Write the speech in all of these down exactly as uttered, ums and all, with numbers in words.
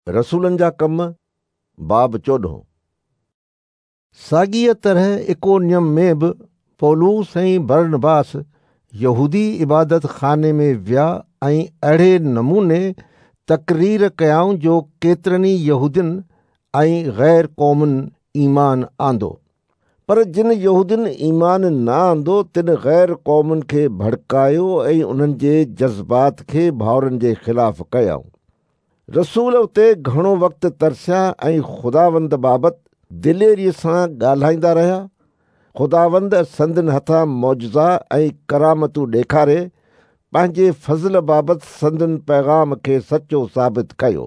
रसूलनि जा कम बाब चोॾहं। साॻीअ तरह इकोनियम में बि पौलुस ऐं बरनबास यहूदी इबादत खाने में विया ऐं अहिड़े नमूने तकरीर कयाऊं जो केतिरनि ई यहूदियुनि ऐं ग़ैर क़ौमुनि ईमान आंदो। पर जिन यहूदियुनि ईमान न आंदो तिन ग़ैर क़ौमुनि खे भड़कायो ऐं उन्हनि जे जज़्बात खे भाउरनि जे ख़िलाफ़ कयाऊं। रसूल उते घणो वक़्तु तरसिया ऐं ख़ुदावंद बाबति दिलेरीअ सां ॻाल्हाईंदा रहिया। ख़ुदावंद संदन हथां मौजज़ा ऐं करामतूं ॾेखारे पंहिंजे फ़ज़ल बाबति संदन पैगाम खे सचो साबित कयो।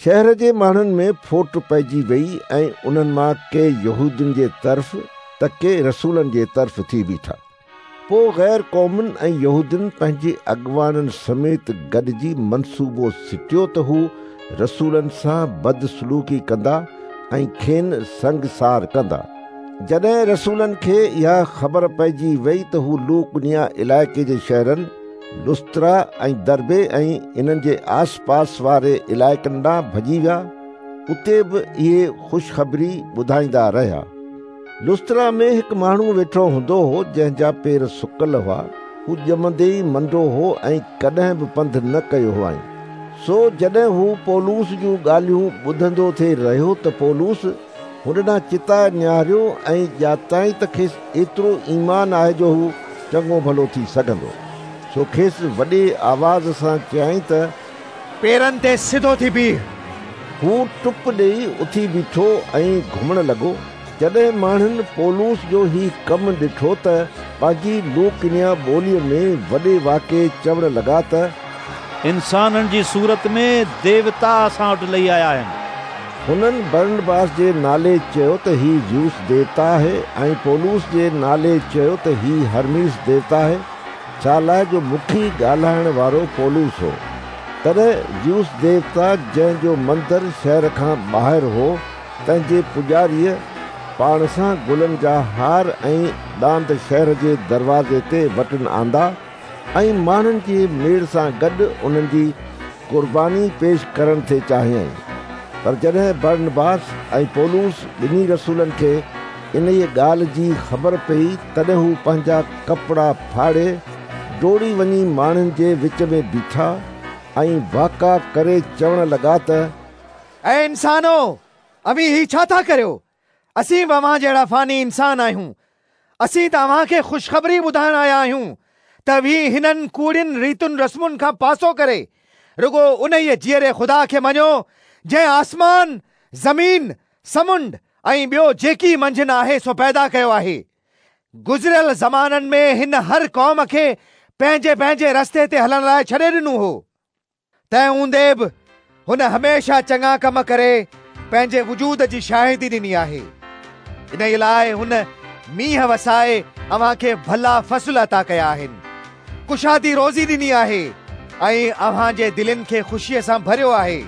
शहर जे माण्हुनि में फोट पइजी वई ऐं उन्हनि मां के यहूदियुनि जे तरफ़ त के रसूलनि जे तरफ़ थी बीठा। पोइ ग़ैर क़ौमुनि ऐं यहूदियुनि पंहिंजे अॻवाननि समेत गॾिजी मनसूबो सिटियो त हू रसूलनि सां बदसलूकी कंदा ऐं खेनि संगसार कंदा। जॾहिं रसूलनि खे इहा ख़बर पइजी वई त हू लूकनिया इलाइक़े जे शहरनि लुस्त्रा ऐं दर्बे ऐं इन्हनि जे आसपास वारे इलाइक़नि ॾांहुं भॼी विया। उते बि इहे ख़ुशख़बरी ॿुधाईंदा रहिया। लुस्त्रा में हिकु माण्हू वेठो हूंदो हो जंहिंजा पेर सुकल हुआ। हू ॼमंदे ई मंदो हो ऐं कॾहिं बि पंधु न कयो हुआईं। सो जॾहिं हू पौलुस जूं ॻाल्हियूं ॿुधंदो थी रहियो त पौलुस हुन ॾांहुं चिताए निहारियो ऐं ॼाताईं त खेसि एतिरो ईमान आहे जो हू चङो भलो थी सघंदो। सो खेसि वॾे आवाज़ सां चयाईं त पेरनि ते सिधो थी बीह। हू टुप ॾेई उथी बीठो ऐं घुमण लॻो। जॾहिं माण्हुनि पौलुस जो ही कमु ॾिठो त पंहिंजी लूकनिया ॿोलीअ में वॾे वाके चवण लॻा त इंसाननि जी सूरत में देवता असां वटि लही आया आहिनि। हुननि बरनबास जे नाले चयो त ही ज़्यूस देवता आहे ऐं पौलुस जे नाले चयो त ही हरमीस देवता आहे, छा लाइ जो मुखी ॻाल्हाइण वारो पौलुस हो। तॾहिं ज़्यूस देवता जंहिंजो मंदर शहर खां ॿाहिरि हो तंहिंजे पुॼारीअ पाण सां गुलनि जा हार ऐं ॾांद शहर जे दरवाज़े ते वटि आंदा ऐं माण्हुनि जे मेड़ सां गॾु उन्हनि जी क़ुर्बानी पेश करणु थे चाहियईं। पर जॾहिं बरनबास ऐं पौलुस ॿिन्ही रसूलनि खे इन ॻाल्हि जी ख़बर पई तॾहिं हू पंहिंजा कपिड़ा फाड़े डोड़ी वञी माण्हुनि जे विच में बीठा ऐं वाका करे चवण लॻा त ऐ इंसानो, अव्हीं ही छा था करियो? असीं बि अव्हां जहिड़ा फ़ानी इंसान आहियूं। असीं त अव्हांखे ख़ुशख़बरी ॿुधाइण आया आहियूं त अव्हीं हिननि कूड़ियुनि रीतुनि रस्मुनि खां पासो करे रुगो उन जीअरे ख़ुदा खे मञो जंहिं आसमान, ज़मीन, समुंड ऐं ॿियो जेकी मंझनि आहे सो पैदा कयो आहे। गुज़िरियल ज़माननि में हिन हर क़ौम खे पंहिंजे पंहिंजे रस्ते ते हलण लाइ छॾे ॾिनो हो। तंहिं हूंदे बि हुन हमेशह चङा कम करे पंहिंजे वजूद जी शाहिदी ॾिनी आहे। इन लाइ हुन मींहुं वसाए अव्हांखे भला फ़सल अता कया आहिनि, कुशादी रोज़ी ॾिनी आहे ऐं अव्हांजे दिलनि खे ख़ुशीअ सां भरियो आहे।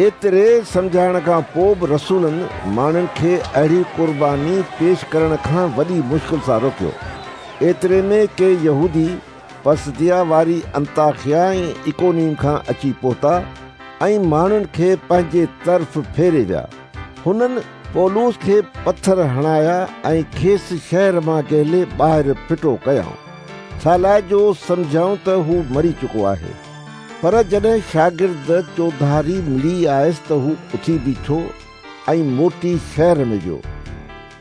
एतिरे सम्झाइण खां पोइ बि रसूलनि माण्हुनि खे अहिड़ी क़ुर्बानी पेश करण खां वॾी मुश्किल सां रोकियो। एतिरे में के यहूदी पसदिया वारी अंताखिया ऐं इकोनियम खां अची पहुता ऐं माण्हुनि खे पंहिंजे तरफ़ फेरे विया। हुननि पौलुस खे पथर हणाया ऐं खेसि शहर मां ॻेले ॿाहिरि फिटो कयाऊं, छा लाइ जो सम्झाऊं त हू मरी चुको आहे। पर जॾहिं शागिर्द चौधारी मिली आयसि त हू उथी बीठो ऐं मोटी शहर में वियो।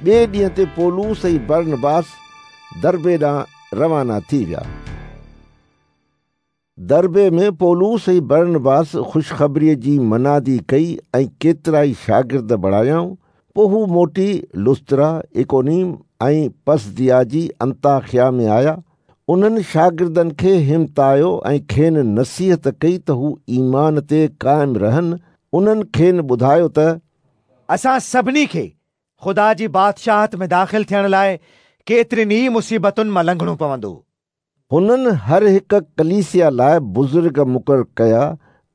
ॿिए ॾींहं ते पौलुस ऐं बरनबास दर्बे ॾांहुं रवाना थी विया। दर्बे में पौलुस ऐं बरनबास ख़ुशख़बरीअ जी मनादी कई ऐं केतिरा ई शागिर्द बणायाऊं। पोइ हू मोटी लुस्त्रा, इकोनियम ऐं पसदिया जी अंताखिया में आया। उन्हनि शागिर्दनि खे हिमतायो ऐं खेनि नसीहत कई त हू ईमान ते क़ाइमु रहनि। उन्हनि खेनि ॿुधायो त असां सभिनी खे ख़ुदा जी बादशाहत में दाख़िल थियण लाइ केतिरियुनि ई मुसीबतुनि मां लंघणो पवंदो। हुननि हर हिकु कलीसिया लाइ बुज़ुर्ग मुक़ररु कया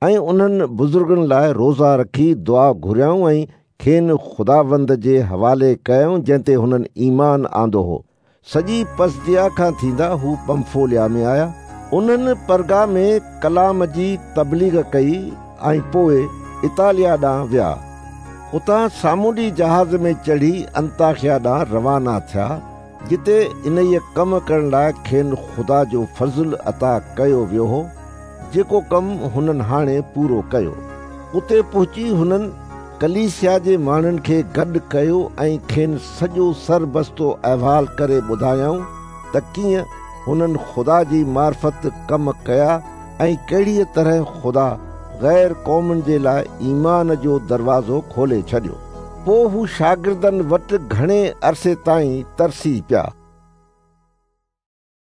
ऐं उन्हनि बुज़ुर्गनि लाइ रोज़ा रखी दुआ घुरियाऊं ऐं खेनि ख़ुदावंद जे हवाले कयाऊं जंहिं ते हुननि ईमान आंदो हो। सॼी पसदिया खां थींदा हू पंफोलिया में आया। उन्हनि परगा में कलाम जी तबलीग कई ऐं पोइ اطاليا ڏانهن ويا. اتان سامونڊي جهاز ۾ چڙهي انطاڪيه ڏانهن روانا ٿيا، جتي انهيء ڪم ڪرڻ لاءِ کين خدا جو فضل عطا ڪيو ويو هو، جيڪو ڪم هنن هاڻي پورو ڪيو. اتي پهچي هنن ڪليسيا جي ماڻهن کي گڏ ڪيو ۽ کين سڄو سربستو احوال ڪري ٻڌايائون ته ڪيئن هنن خدا جي معرفت ڪم ڪيا ۽ ڪهڙيء طرح خدا غير قومن جي لاءِ ايمان جو دروازو کولي ڇڏيو. پوءِ هو شاگردن وٽ گهڻي عرصي تائين ترسي پيا.